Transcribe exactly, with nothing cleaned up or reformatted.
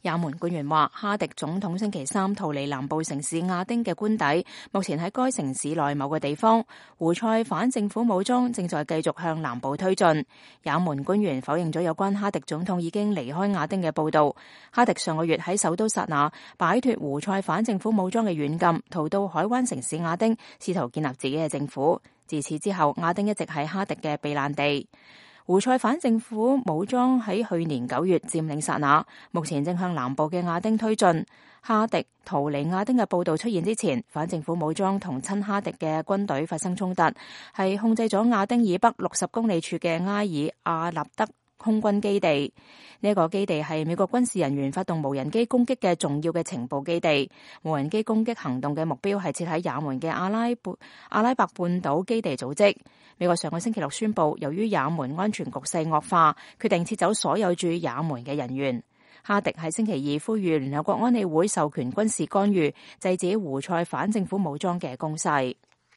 也門官員話，哈迪總統星期三逃離南部城市亞丁嘅官邸，目前喺該城市內某個地方。胡塞反政府武裝正在繼續向南部推進。也門官員否認咗有關哈迪總統已經離開亞丁嘅報道。哈迪上個月喺首都薩那擺脫胡塞反政府武裝嘅軟禁，逃到海灣城市亞丁，試圖建立自己嘅政府。自此之後，亞丁一直係哈迪嘅避難地。胡塞反政府武裝喺去年九月佔領薩那，目前正向南部嘅亞丁推進。哈迪逃離亞丁嘅報道出現之前，反政府武裝同親哈迪嘅軍隊發生衝突，係控制咗亞丁以北六十公里處嘅埃爾阿納德空軍基地。呢一個基地係美國軍事人員發動無人機攻擊嘅重要嘅情報基地。無人機攻擊行動嘅目標係設喺也門嘅阿拉伯阿拉伯半島基地組織。美國上個星期六宣布，由於也門安全局勢惡化，決定撤走所有駐也門嘅人員。哈迪喺星期二呼籲聯合國安理會授權軍事干預，制止胡塞反政府武裝嘅攻勢。